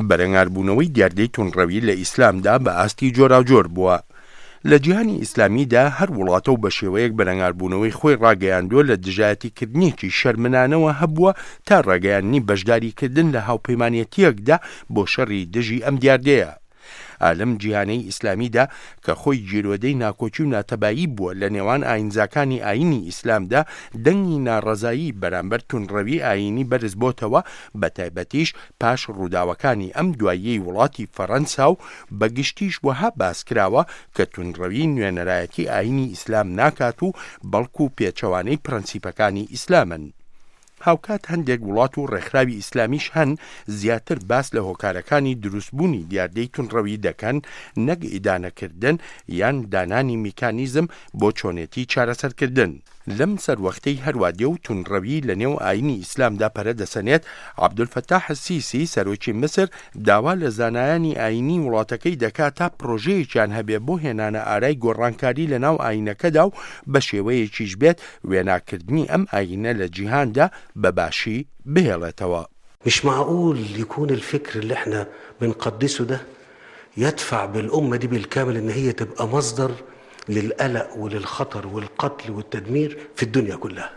بەرەنگاربوونەوەی دیاردەی توندڕەوی لە ئیسلامدا بە ئاستی جۆراوجۆر بووە. لە جیهانی ئیسلامیدا هەر وڵاتە و بە شێوەیەک بەرەنگاربوونەوەی خۆی ڕاگەیاندووە لە دژایەتیکردنێکی شەرمنانەوە هەبووە تا ڕاگەیاندنی بەشداریکردن لە هاوپەیمانێتییەکدا بۆ شەڕی دژی ئەم دیاردەیە. ئا لەم جیهانەی ئیسلامیدا کە خۆی گیرۆدەی ناکۆکی و ناتەبایی بووە لە نێوان ئایینزاکانی ئایینی ئیسلامدا، دەنگی ناڕەزایی بەرامبەر توندڕەوی ئایینی بەرز بۆتەوە، بەتایبەتیش پاش ڕووداوەکانی ئەم دواییەی وڵاتی فەرەنسا و بە گشتیش وەها باس کراوە کە توندڕەوی نوێنەرایەتی ئایینی ئیسلام ناکات و بەڵکو پێچەوانەی پرەنسیپەکانی ئیسلامن. هاوکات هەندێک وڵات و ڕێکخراوی ئیسلامیش هەن زیاتر باس لە هۆکارەکانی دروستبوونی دیاردەی توندڕەوی دەکەن نەک ئیدانەکردن یان دانانی میکانیزم بۆ چۆنێتی چارەسەرکردن. لەم سەروەختەی هەروا دێ و توندڕەوی لە نێو ئایینی ئیسلامدا پەرە دەسەنێت، عەبدولفەتاح سیسی سەرۆکی میسر داوا لە زانایانی ئایینی وڵاتەکەی دەکا تا پرۆژەیەکیان هەبێ بۆ هێنانە ئارای گۆڕانکاری لە ناو ئایینەکەدا و بە شێوەیەکیش بێت وێناکردنی ئەم ئایینە لە جیهاندا بە باشی بهێڵێتەوە. مش معقول يكون الفكر اللي احنا بنقدسه ده يدفع بالأمة دي بالكامل إن هي تبقى مصدر للقلق وللخطر والقتل والتدمير في الدنيا كلها.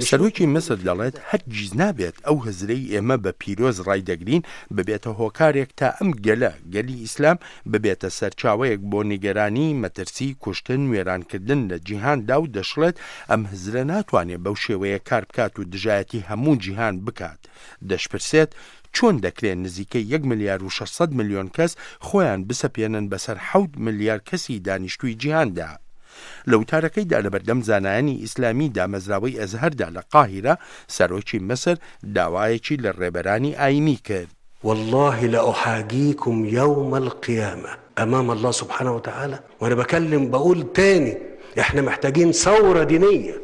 سەرۆکی میسر دەڵێت، هەرگیز نابێت ئەو هزرەی ئێمە بە پیرۆز ڕایدەگرین ببێتە هۆکارێک تا ئەم گەلە، گەلی ئیسلام، ببێتە سەرچاوەیەک بۆ نیگەرانی، مەترسی، کوشتن، وێرانکردن لە جیهاندا و دەشڵێت، ئەم هزرە ناتوانێت بەو شێوەیە کار بکات و دژایەتی هەموو جیهان بکات. دەشپرسێت، چۆن دەکرێ نزیکەی یەک ملیار و 600 ملیۆن کەس خۆیان بسەپێنن بەسەر حەوت ملیار کەسی دانیشتووی جیهاندا؟ لە وتارەکەیدا لەبەردەم زانایانی ئیسلامی دامەزراوەی ئەزهەردا لە قاهیرە، سەرۆکی میسر داوایەکی لە ڕێبەرانی ئایینی کرد. واللە لأحاجيكم يوم القيامة أمام الله سبحانه وتعالى وأنا بكلم بقول تاني احنا محتاجين ثورة دينية.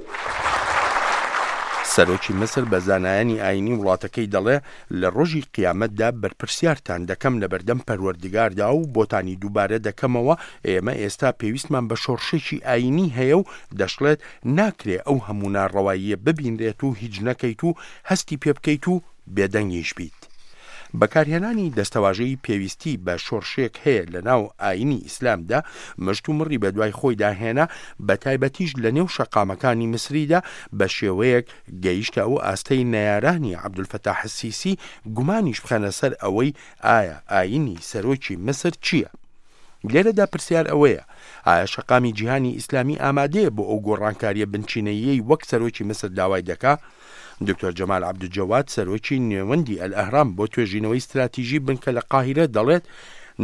سەرۆکی میسر بە زانایانی ئایینی وڵاتەکەی دەڵێ، لە ڕۆژی قیامەتدا بەرپرسیارتان دەکەم لەبەردەم پەروەردگاردا و بۆتانی دووبارە دەکەمەوە، ئێمە ئێستا پێویستمان بە شۆڕشێکی ئایینی هەیە و دەشڵێت، ناکرێ ئەو هەموو ناڕەواییە ببینرێت و هیچ نەکەیت و هەستی پێ بکەیت و بێدەنگیش بیت. بەکارهێنانی دەستەواژەی پێویستی بە شۆڕشێک هەیە لەناو ئایینی ئیسلامدا مشتومڕی بەدوای خۆیدا هێنا، بەتایبەتیش لەنێو شەقامەکانی میسریدا بە شێوەیەک گەیشتە ئەو ئاستەی نەیارانی عەبدولفەتاح سیسی گومانیش بخەنە سەر ئەوەی ئایا ئایینی سەرۆکی میسر چییە؟ لێرەدا پرسیار ئەوەیە ئایا شەقامی جیهانی ئیسلامی ئامادەیە بۆ ئەو گۆڕانکارییە بنچینەییەی وەک سەرۆکی میسر داوای دەکا؟ دکتۆر جەمال عەبدولجەواد سەرۆکی نێوەندی ئەلئەهرام بۆ توێژینەوەی ستراتیژی بنکە لە قاهیرە دەڵێت،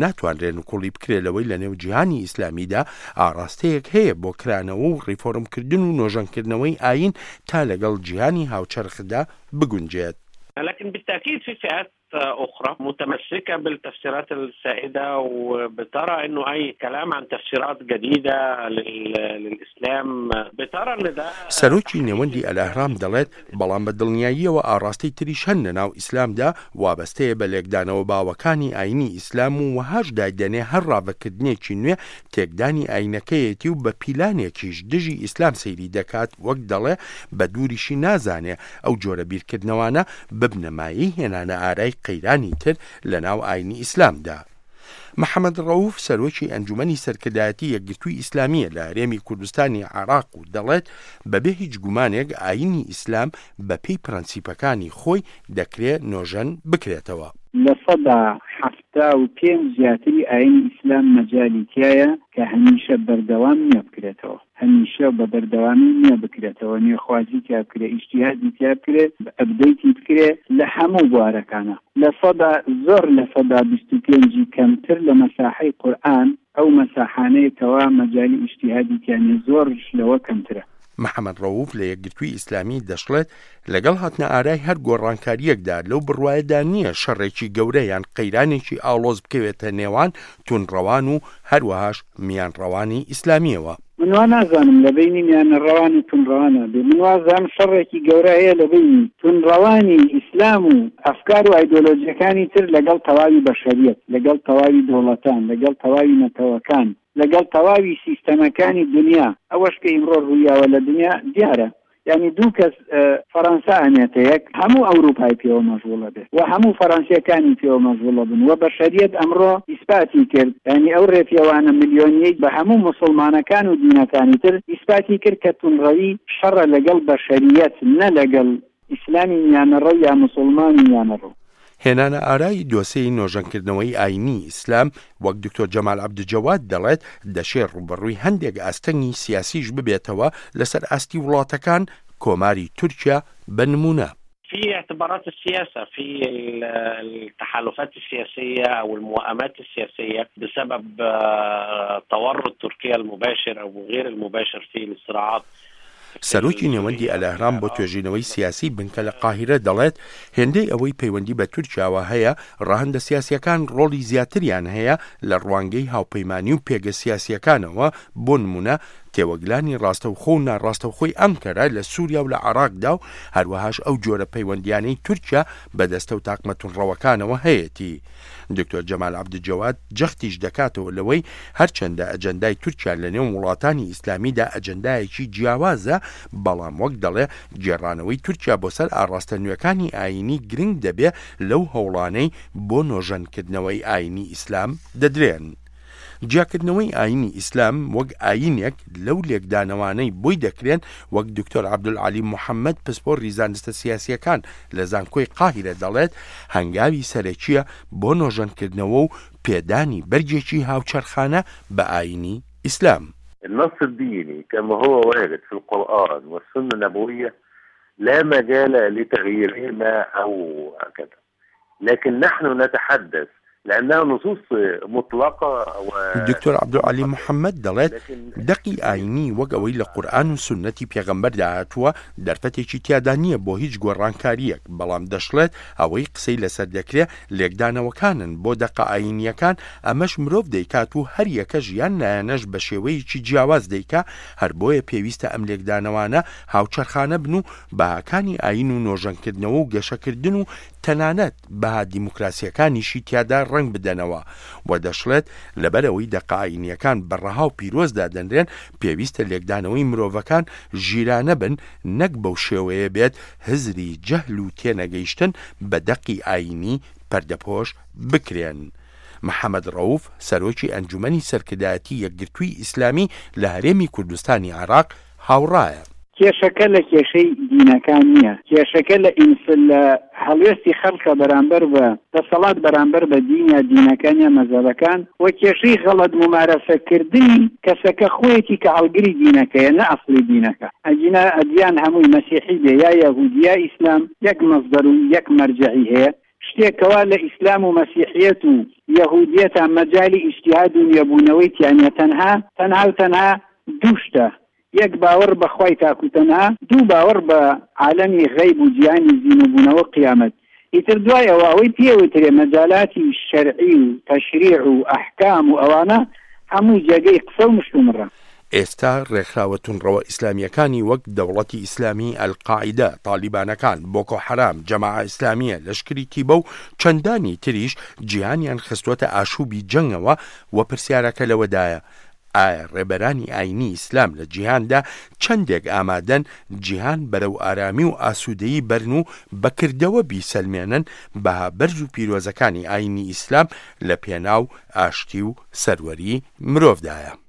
ناتوانرێ نکوڵی بکرێ لەوەی لەنێو جیهانی ئیسلامیدا ئاڕاستەیەک هەیە بۆ کرانەوە و ڕیفۆرمکردن و نۆژەنکردنەوەی ئایین تا لەگەڵ جیهانی هاوچەرخدا بگونجێت. لكن بالتأكيد في فئات أخرى متمسكة بالتفسيرات السائدة وبترى أنه أي كلام عن تفسيرات جديدة للإسلام بترى أن ده سەرۆکی نێوەندی ئەلئەهرام دەڵێت، بەڵام بە دڵنیاییەوە ئاڕاستەی تریش هەن لەناو ئیسلامدا وابەستەیە بە لێکدانەوە باوەکانی ئایینی ئیسلام و وەهاش دایدەنێ هەر ڕاڤەکردنێکی نوێ تێکدانی ئایینەکەیەتی و بە پیلانێکیش دژی ئیسلام سەیری دەکات وەک دەڵێ بە دووریشی نازانێ ئەو جۆرە بیرکردنەوانە ببنە مایەی هێنانە ئارای قەیرانی تر لەناو ئاینی ئیسلامدا. محەمەد ڕەئوف سەرۆکی ئەنجومەنی سەرکردایەتی یەکگرتووی ئیسلامییە لە هەرێمی کوردستانی عێراق و دەڵێت بەبێ هیچ گومانێک ئاینی ئیسلام بەپێی پرەنسیپەکانی خۆی دەکرێ نۆژەن بکرێتەوە. 75% زیاتری ئاینی ئیسلام مەجالی تیایە کە هەمیشە بەردەوام نوێ بکرێتەوە. هەمیشە و بە بەردەوامی نوێ بکرێتەوە، نوێخوازی تیا بکرێ، ئیجتیهادی تیا بکرێ، ئەپدەیتی بکرێ لە هەموو بوارەکانا. لە سەدا زۆر 25% ی کەمتر لە مەساحەی قورئان، ئەو مەساحانەیە کەوا مەجالی ئیجتیهادی تیا نیە، زۆرش لەوە کەمترە. محەمەد ڕەوف لە یەکگرتووی ئیسلامی دەشڵێت، لەگەڵ هاتنە ئارای هەر گۆڕانکارییەکدا لەو بڕوایەدا نییە شەڕێکی گەورە یان قەیرانێکی ئاڵۆز بکەوێتە نێوان توندڕەوان و هەروەهاش میانڕەوانی ئیسلامییەوە. من وا نازانم لە بەینی میانەڕەوان و توندڕەوانا بێ، من وازانم شەڕێکی گەورە هەیە لە بەینی توندڕەوانی ئیسلام و ئەفکار و ئایدۆلۆجیەکانی تر لەگەڵ تەواوی بەشەریەت، لەگەڵ تەواوی دەوڵەتان، لەگەڵ تەواوی نەتەوەکان، لەگەڵ تەواوی سیستەمەکانی دونیا. ئەوەش کە ئیمڕۆ ڕوویاوە لە دونیا دیارە. یانی دوو کەس فەرەنسا ئەنێتە یەک هەموو ئەوروپای پێوە مەشغوڵە بێت و هەموو فەرەنسیەکانی پێوە مەشغوڵە بن و بەشەریەت ئەمڕۆ ئیسپاتی کرد یانی ئەو رێپێوانە ملیۆنیەی بە هەموو موسڵمانەکان و دینەکانی تر ئیسپاتی کرد کە توندڕەوی شەڕە لەگەڵ بەشەریەت نە لەگەڵ ئیسلامی میانەڕەو یا موسوڵمانی میانەڕەو. هێنانە ئارای دۆسێی نۆژەنکردنەوەی ئایینی ئیسلام، وەک دکتۆر جەمال عەبدولجەواد دەڵێت، دەشێ ڕووبەڕووی هەندێک ئاستەنگی سیاسیش ببێتەوە لەسەر ئاستی وڵاتەکان، کۆماری تورکیا بە نموونە. في اعتبارات السياسة في التحالفات السياسية أو الموائمات السياسية بسبب تورط تركيا المباشر أو غير المباشر في الصراعات سەرۆکی نێوەندی ئەلئەهرام بۆ توێژینەوەی سیاسی بنکە لە قاهیرە دەڵێت، هێندەی ئەوەی پەیوەندی بە تورکیاوە هەیە، ڕەهەندە سیاسییەکان ڕۆڵی زیاتریان هەیە لە ڕوانگەی هاوپەیمانی و پێگە سیاسییەکانەوە، بۆ نموونە تێوەگلانی ڕاستەوخۆ و ناڕاستەوخۆی ئەنکەرە لە سووریا و لە عێراقدا و هەروەهاش ئەو جۆرە پەیوەندییانەی تورکیا بە دەستە و تاقمە توندڕەوەکانەوە هەیەتی. دکتۆر جەمال عەبدولجەواد جەختیش دەکاتەوە لەوەی هەرچەندە ئەجەندای تورکیا لەنێو وڵاتانی ئیسلامیدا ئەجەندایەکی جیاوازە، بەڵام وەک دەڵێ گێڕانەوەی تورکیا بۆ سەر ئاڕاستە نوێکانی ئایینی گرنگ دەبێ لەو هەوڵانەی بۆ نۆژەنکردنەوەی ئایینی ئیسلام دەدرێن. جیاکردنەوەی ئایینی ئیسلام وەک ئایینێک لەو لێکدانەوانەی بۆی دەکرێن وەک دکتۆر عەبدولعەلی محەمەد پسپۆڕی زانستە سیاسییەکان لە زانکۆی قاهیرە دەڵێت هەنگاوی سەرەکییە بۆ نۆژەنکردنەوە و پێدانی بەرگێکی هاوچەرخانە بە ئایینی ئیسلام. النص الديني كما هو وارد في القرآن والسنة النبوية لا مجال لتغييرهما أو كذا لكن نحن نتحدث لأنها نصوص مطلقة و دکتۆر عەبدولعەلی محەمەد دەڵێت، دەقی ئایینی وەک ئەوەی لە قورئان و سوننەتی پێغەمبەردا هاتووە، دەرفەتێکی تیادا نییە بۆ هیچ گۆڕانکارییەک، بەڵام دەشڵێت، ئەوەی قسەی لەسەر دەکرێ لێکدانەوەکانن بۆ دەقە ئایینییەکان، ئەمەش مرۆڤ دەیکات و هەر یەکەش یان لایەنەش بە شێوەیەکی جیاواز دەیکا، هەر بۆیە پێویستە ئەم لێکدانەوانە هاوچەرخانە بن و بەهاکانی ئایین و نۆژەنکردنەوە و گەشەکردن و تەنانەت بەها دیموکراسییەکانیشی تیادا ڕەنگ بدەنەوە و دەشڵێت، لەبەرئەوەی دەقە ئایینییەکان بە ڕەها و پیرۆز دادەنرێن، پێویستە لێکدانەوەی مرۆڤەکان ژیرانە بن نەک بەو شێوەیە بێت هزری جەهل و تێنەگەیشتن بە دەقی ئایینی پەردەپۆش بکرێن. محەمەد ڕەوف، سەرۆکی ئەنجومەنی سەرکردایەتی یەکگرتووی ئیسلامی لە هەرێمی کوردستانی عێراق هاوڕایە. کێشەکە لە کێشەی دینەکان نییە، کێشەکە لە ئینس لە هەڵوێستی خەڵکە بەرامبەر بە دەسەڵات بەرامبەر بە دین یا دینەکان یا مەزهەبەکان و کێشەی غەڵەت مومارەسە کردنی کەسەکە خۆیەتی کە هەڵگری دینەکەیە نە ئەسڵی دینەکە ئەگینا ئەدیان هەمووی مەسیحی بێ یا یەهودی یا ئیسلام یەک مەسدەر و یەک مەرجەعی هەیە شتێک کەوا لە ئیسلام و مەسیحیەت و یەهودیەتا مەجالی ئیجتیهاد و نوێبوونەوەی تیا نیە تەنها تەنها و تەنها دوو شتە یەک باوەڕ بە خوای تاک و تەنها، دوو باوەڕ بە عالەمی غەیب و جیهانی زینووبوونەوە قیامەت. ئیتر دوای ئەوە ئەوەی پێ وترێ مەجالاتی شەرعی و تەشریع و ئەحکام و ئەوانە هەمووی جێگەی قسە و مشتومڕە. ئێستا ڕێکخراوە توندڕەوە ئیسلامییەکانی وەک دەوڵەتی ئیسلامی، ئەلقاعیدە، تالیبانەکان، بۆکۆ حەرام، جەماعە ئیسلامییە، لەشکری تیبە و چەندانی تریش جیهانیان خستووەتە ئاشووبی جەنگەوە و پرسیارەکە لەوەدایە ئایا ڕێبەرانی ئاینی ئیسلام لە جیهاندا چەندێک ئامادەن جیهان بەرەو ئارامی و ئاسوودەیی بەرن و بە کردەوە بیسەلمێنن بەها بەرز و پیرۆزەکانی ئاینی ئیسلام لە پێناو ئاشتی و سەروەری مرۆڤدایە؟